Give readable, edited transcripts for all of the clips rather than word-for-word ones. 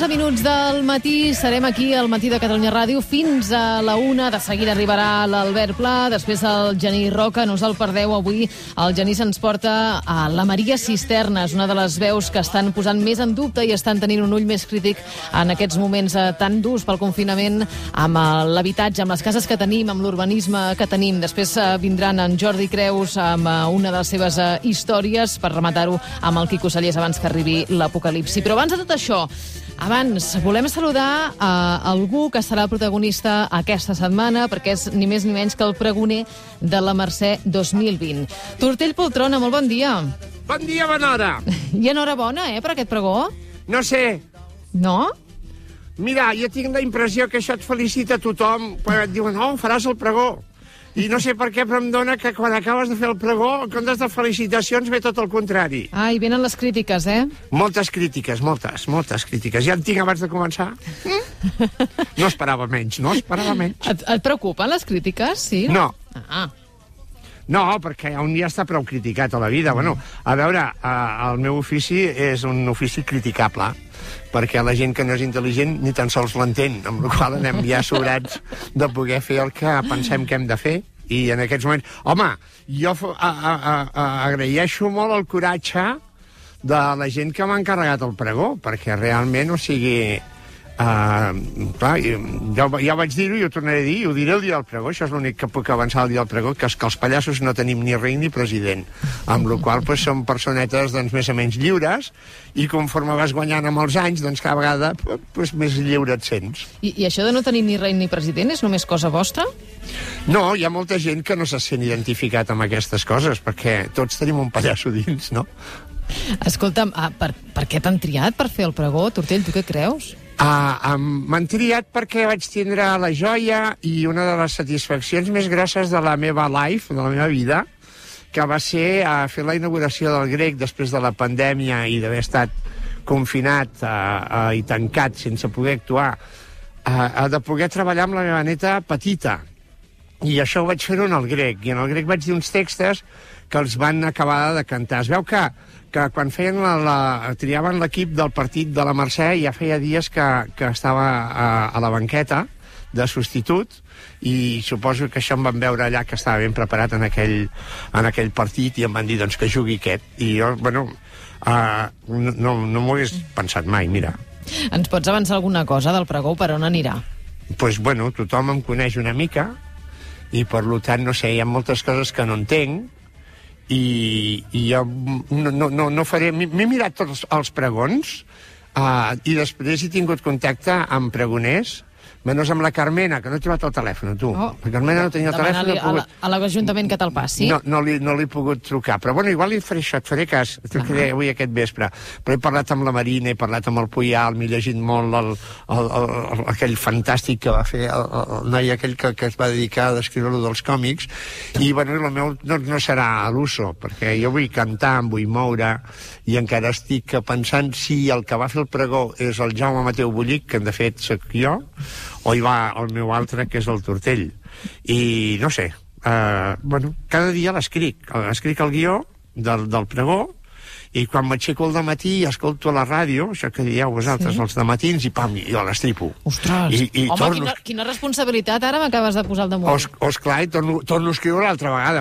11 minuts del matí, serem aquí al Matí de Catalunya Ràdio fins a la 1. De seguida arribarà l'Albert Pla, després el Genís Roca. No us el perdeu, avui el Genís ens porta a la Maria Cisternes, una de les veus que estan posant més en dubte i estan tenint un ull més crític en aquests moments tan durs pel confinament, amb l'habitatge, amb les cases que tenim, amb l'urbanisme que tenim. Després vindran en Jordi Creus amb una de les seves històries per rematar-ho amb el Quico Sallés abans que arribi l'apocalipsi. Però abans de tot això, abans volem saludar algú que serà el protagonista aquesta setmana, perquè és ni més ni menys que el pregoner de la Mercè 2020. Tortell Poltrona, molt bon dia. Bon dia, bona hora. I enhorabona, per aquest pregó. No sé. No? Mira, jo tinc la impressió que això et felicita tothom quan et diuen, faràs el pregó. I no sé per què, però em dona que quan acabes de fer el pregó, en comptes de felicitacions, ve tot el contrari. I venen les crítiques, Moltes crítiques, moltes crítiques. Ja en tinc abans de començar. No esperava menys. Et preocupen les crítiques, sí? No. Ah. No, perquè un dia està prou criticat a la vida. Bueno, a veure, el meu ofici és un ofici criticable, perquè la gent que no és intel·ligent ni tan sols l'entén, amb la qual anem ja sobrats de poder fer el que pensem que hem de fer. I en aquests moments... Home, jo agraeixo molt el coratge de la gent que m'ha encarregat el pregó, perquè realment, o sigui... clar, ja vaig dir-ho i ho tornaré a dir, ho diré el dia del pregó, això és l'únic que puc avançar el dia del pregó, que és que els pallassos no tenim ni rei ni president, amb la qual cosa som personetes més o menys lliures, i conforme vas guanyant amb els anys, doncs cada vegada més lliure et sents. I això de no tenir ni rei ni president és només cosa vostra? No, hi ha molta gent que no se sent identificat amb aquestes coses, perquè tots tenim un pallasso dins, no? Escolta'm, per què t'han triat per fer el pregó? Tortell, tu què creus? M'han triat perquè vaig tindre la joia i una de les satisfaccions més grosses de la meva life, de la meva vida, que va ser fer la inauguració del Grec després de la pandèmia i d'haver estat confinat i tancat sense poder actuar, de poder treballar amb la meva neta petita. I això ho vaig fer-ho en el Grec, i en el Grec vaig dir uns textos que els van acabar de cantar. Es veu que quan feien triaven l'equip del partit de la Mercè, ja feia dies que estava a la banqueta de substitut, i suposo que això em van veure allà, que estava ben preparat en aquell partit, i em van dir doncs, que jugui aquest. I jo, no m'ho hagués pensat mai, mira. Ens pots avançar alguna cosa del pregó? Per on anirà? Doncs, tothom em coneix una mica, i per tant, no sé, hi ha moltes coses que no entenc, i jo no faré... M'he mirat tots els pregons, i després he tingut contacte amb pregoners, menys amb la Carmena, que no he trobat el telèfon, tu. La Carmena no tenia el telèfon. A l'Ajuntament que te'l passi. No li he pogut trucar, però igual li faré això, et faré cas, et trucaré avui aquest vespre. Però he parlat amb la Marina, he parlat amb el Puyal, m'he llegit molt aquell fantàstic que va fer el noi aquell que es va dedicar a descriure-lo dels còmics, i el meu no serà a l'uso, perquè jo vull cantar, em vull moure, i encara estic pensant si el que va fer el pregó és el Jaume Mateu Bullic, que de fet soc jo, o hi va el meu altre, que és el Tortell. I no sé, cada dia l'escric el guió del pregó, i quan m'aixeco al dematí i escolto a la ràdio, això que dieu vosaltres, els dematins, i pam, jo l'estripo. Ostres, home, quina responsabilitat ara m'acabes de posar al damunt. Esclar, i torno a escriure l'altra vegada.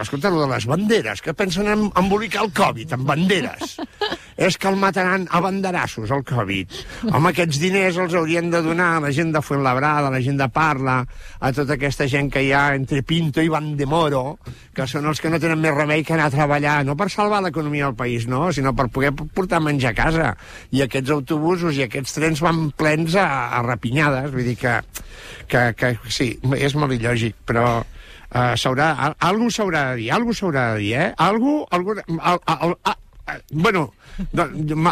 Escolta, allò de les banderes, que pensen embolicar el Covid, amb banderes. És que el mataran a banderassos, el Covid. Home, aquests diners els haurien de donar a la gent de Fuenlabrada, a la gent de Parla, a tota aquesta gent que hi ha entre Pinto i Vandemoro, que són els que no tenen més remei que anar a treballar, no per salvar l'economia del país, no, sinó per poder portar menjar a casa. I aquests autobusos i aquests trens van plens a rapinyades, vull dir que sí, és molt il·lògic, però algú s'haurà de dir,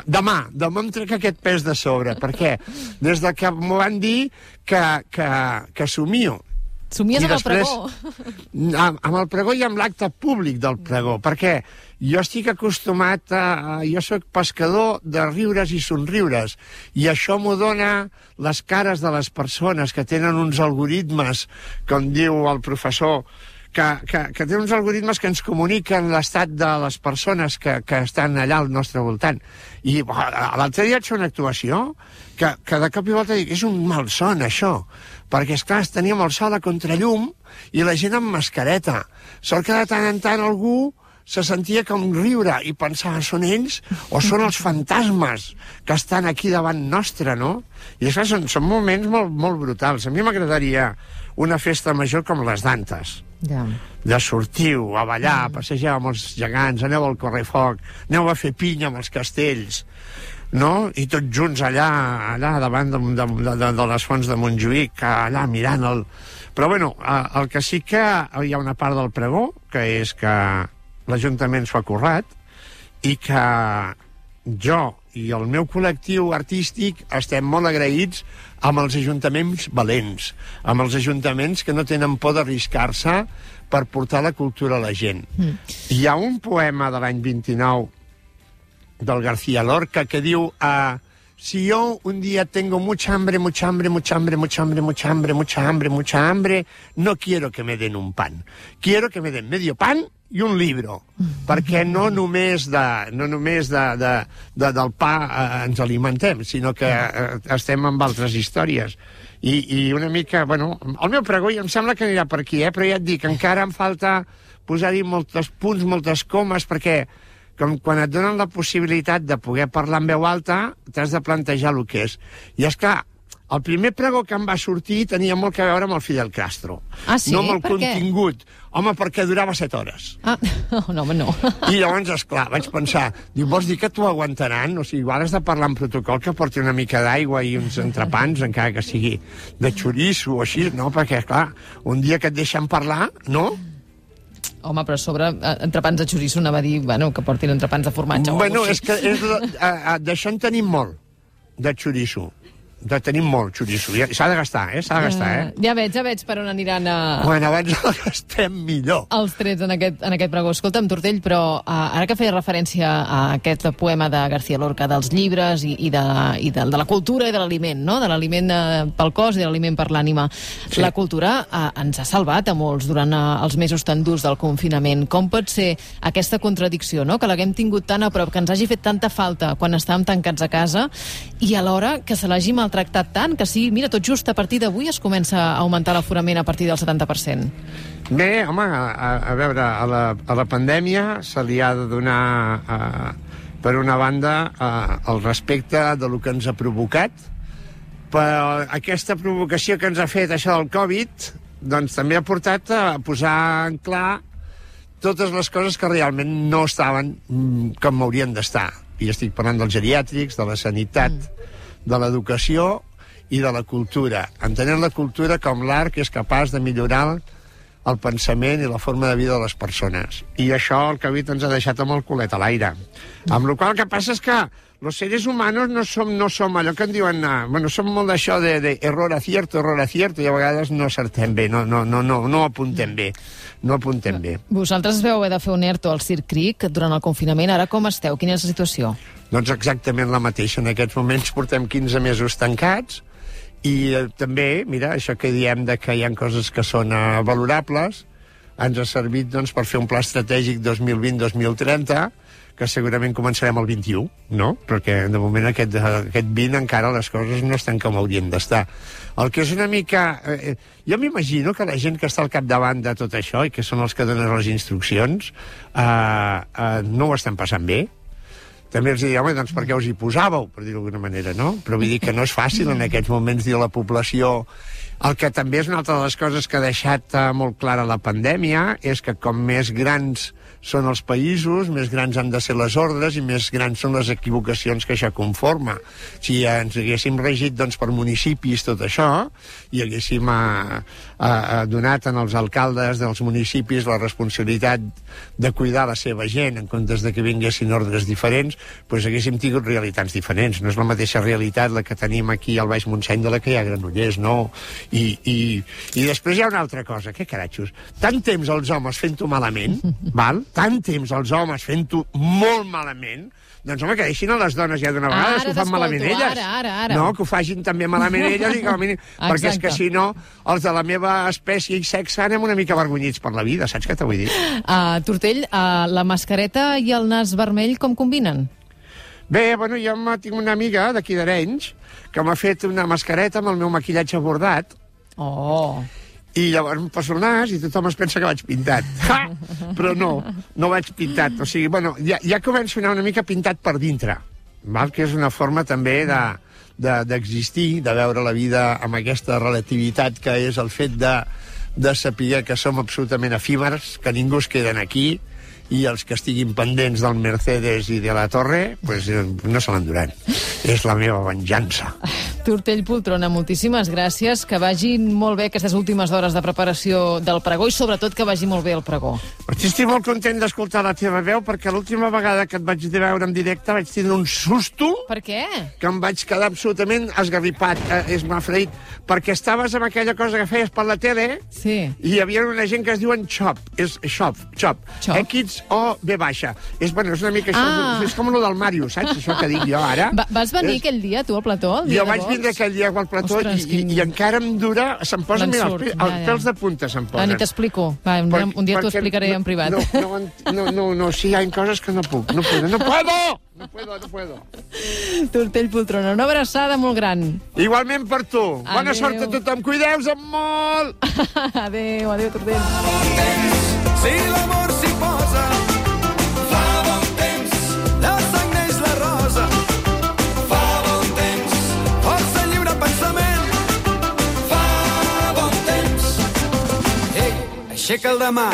demà em trec aquest pes de sobre. Per què? Des que m'ho van dir que somio. Somies amb el pregó. Amb el pregó i amb l'acte públic del pregó, perquè jo estic acostumat jo soc pescador de riures i somriures, i això m'ho dona les cares de les persones que tenen uns algoritmes, com diu el professor, que té uns algoritmes que ens comuniquen l'estat de les persones que estan allà al nostre voltant. I l'altre dia vaig fer una actuació que de cop i volta dic, és un malson, això, perquè, esclar, teníem el sol a contrallum i la gent amb mascareta. Sort que de tant en tant algú se sentia com riure i pensava, són ells o són els fantasmes que estan aquí davant nostre, no? I això són moments molt, molt brutals. A mi m'agradaria una festa major com les d'antes. Ja. De sortiu, a ballar, passegeu amb els gegants, aneu al correfoc, aneu a fer pinya amb els castells, no? I tots junts allà davant de les fonts de Montjuïc, allà mirant el... Però, bueno, el que sí que hi ha una part del pregó, que és que l'Ajuntament s'ho ha currat i que jo i el meu col·lectiu artístic estem molt agraïts amb els ajuntaments valents, amb els ajuntaments que no tenen por d'arriscar-se per portar la cultura a la gent. Hi ha un poema de l'any 29 del García Lorca que diu si yo un día tengo mucha hambre, mucha hambre, mucha hambre, mucha hambre, mucha hambre, mucha hambre, mucha hambre, no quiero que me den un pan. Quiero que me den medio pan i un libro, perquè no només del pa ens alimentem, sinó que estem amb altres històries. I una mica, bueno, el meu pregó em sembla que anirà per aquí, però ja et dic, encara em falta posar-hi molts punts, moltes comes, perquè com quan et donen la possibilitat de poder parlar en veu alta, t'has de plantejar el que és. I és clar, el primer pregó que em va sortir tenia molt a veure amb el Fidel Castro. Ah, sí? No amb el Per què? contingut. Home, perquè durava 7 hores. Ah, no, home, no. I llavors, esclar, vaig pensar, diu, vols dir que t'ho aguantaran? O sigui, igual has de parlar en protocol que porti una mica d'aigua i uns entrepans, encara que sigui de xoriço o així, no? Perquè, clar, un dia que et deixen parlar, no? Home, però a sobre entrepans de xoriço anava a dir, bueno, que portin entrepans de formatge. Bueno, és que d'això en tenim molt, de xoriço. Tenim molt xoriço. S'ha de gastar, S'ha de gastar, Ja veig per on aniran Bueno, abans el gastem millor. els trets en aquest pregó. Escolta'm, Tortell, però ara que feia referència a aquest poema de García Lorca dels llibres i de la cultura i de l'aliment, no? De l'aliment pel cos i de l'aliment per l'ànima. Sí. La cultura ens ha salvat a molts durant els mesos tan durs del confinament. Com pot ser aquesta contradicció, no? Que l'haguem tingut tan a prop, que ens hagi fet tanta falta quan estàvem tancats a casa i alhora que se l'hagi maltractat tant, que sí, mira, tot just a partir d'avui es comença a augmentar l'aforament a partir del 70%. Bé, home, a veure, a la pandèmia se li ha de donar, per una banda, el respecte de lo que ens ha provocat, però aquesta provocació que ens ha fet això del Covid, doncs també ha portat a posar en clar totes les coses que realment no estaven com haurien d'estar. I estic parlant dels geriàtrics, de la sanitat, de l'educació i de la cultura, entenent la cultura com l'art que és capaç de millorar el pensament i la forma de vida de les persones. I això el Covid ens ha deixat amb el culet a l'aire. Amb la qual cosa el que passa és que los seres humanos no som allò que en diuen... Bueno, som molt d'això de error acierto, i a vegades no acertem bé, no apuntem bé. No apuntem bé. Vosaltres vau haver de fer un ERTO al Circ Cric durant el confinament. Ara com esteu? Quina és la situació? Doncs exactament la mateixa. En aquests moments portem 15 mesos tancats i també, mira, això que diem de que hi ha coses que són valorables, ens ha servit doncs, per fer un pla estratègic 2020-2030, que segurament començarem el 21, no? Perquè de moment aquest 20 encara les coses no estan com haurien d'estar. El que és una mica... jo m'imagino que la gent que està al capdavant de tot això i que són els que donen les instruccions no ho estan passant bé. També els diria, home, doncs per què us hi posàveu, per dir-ho d'alguna manera, no? Però vull dir que no és fàcil en aquests moments dir a la població... El que també és una altra de les coses que ha deixat molt clara la pandèmia és que com més grans són els països, més grans han de ser les ordres i més grans són les equivocacions que això conforma. Si ens haguéssim regit doncs, per municipis tot això i haguéssim donat als alcaldes dels municipis la responsabilitat de cuidar la seva gent en comptes de que vinguessin ordres diferents, doncs haguéssim tingut realitats diferents. No és la mateixa realitat la que tenim aquí al Baix Montseny de la que hi ha a Granollers, no? I després hi ha una altra cosa, què caratxos? Tant temps els homes fent-ho malament, val? tant temps els homes fent-ho molt malament, doncs, home, que deixin a les dones ja d'una vegada, que ho fan malament elles. Ara. No, que ho facin també malament elles, i com a mínim, perquè és que si no, els de la meva espècie i sexe anem una mica avergonyits per la vida, saps què t'ho vull dir? Tortell, la mascareta i el nas vermell com combinen? Bé, bueno, jo tinc una amiga d'aquí d'Arenys que m'ha fet una mascareta amb el meu maquillatge bordat. Oh... I llavors em poso el nas i tothom es pensa que vaig pintat. Però no vaig pintat. O sigui, bueno, ja començo a anar una mica pintat per dintre, val? Que és una forma també d'existir, de veure la vida amb aquesta relativitat que és el fet de saber que som absolutament efímers, que ningú es queden aquí, i els que estiguin pendents del Mercedes i de la Torre, pues, no se l'enduran. És la meva venjança. Tortell Poltrona, moltíssimes gràcies. Que vagin molt bé aquestes últimes hores de preparació del pregó i sobretot que vagi molt bé el pregó. Estic molt content d'escoltar la teva veu perquè l'última vegada que et vaig veure en directe vaig tindre un susto. Per què? Que em vaig quedar absolutament esgarripat, esmafreït, perquè estaves amb aquella cosa que feies per la tele. Sí. I hi havia una gent que es diuen Chop. És Chop. X-O-B baixa. És una mica això, és com el del Mario, saps? Això que dic jo ara. Vas venir aquell dia, tu, al plató? Jo vaig vindre aquell dia al plató. Ostres, i encara em dura... Se'm posen els pèls de punta, se'm posen. Ni t'explico. Un dia t'ho explicaré en privat. No, sí, hi ha coses que no puc. No puedo. Tortell Poltrona, una abraçada molt gran. Igualment per tu. Bona sort a tothom. Cuideu-vos molt. Adéu, Tortell. Si l'amor s'hi posa, fa bon temps, de sang neix la rosa. Fa bon temps, força lliure pensament. Fa bon temps, ei, aixeca el demà.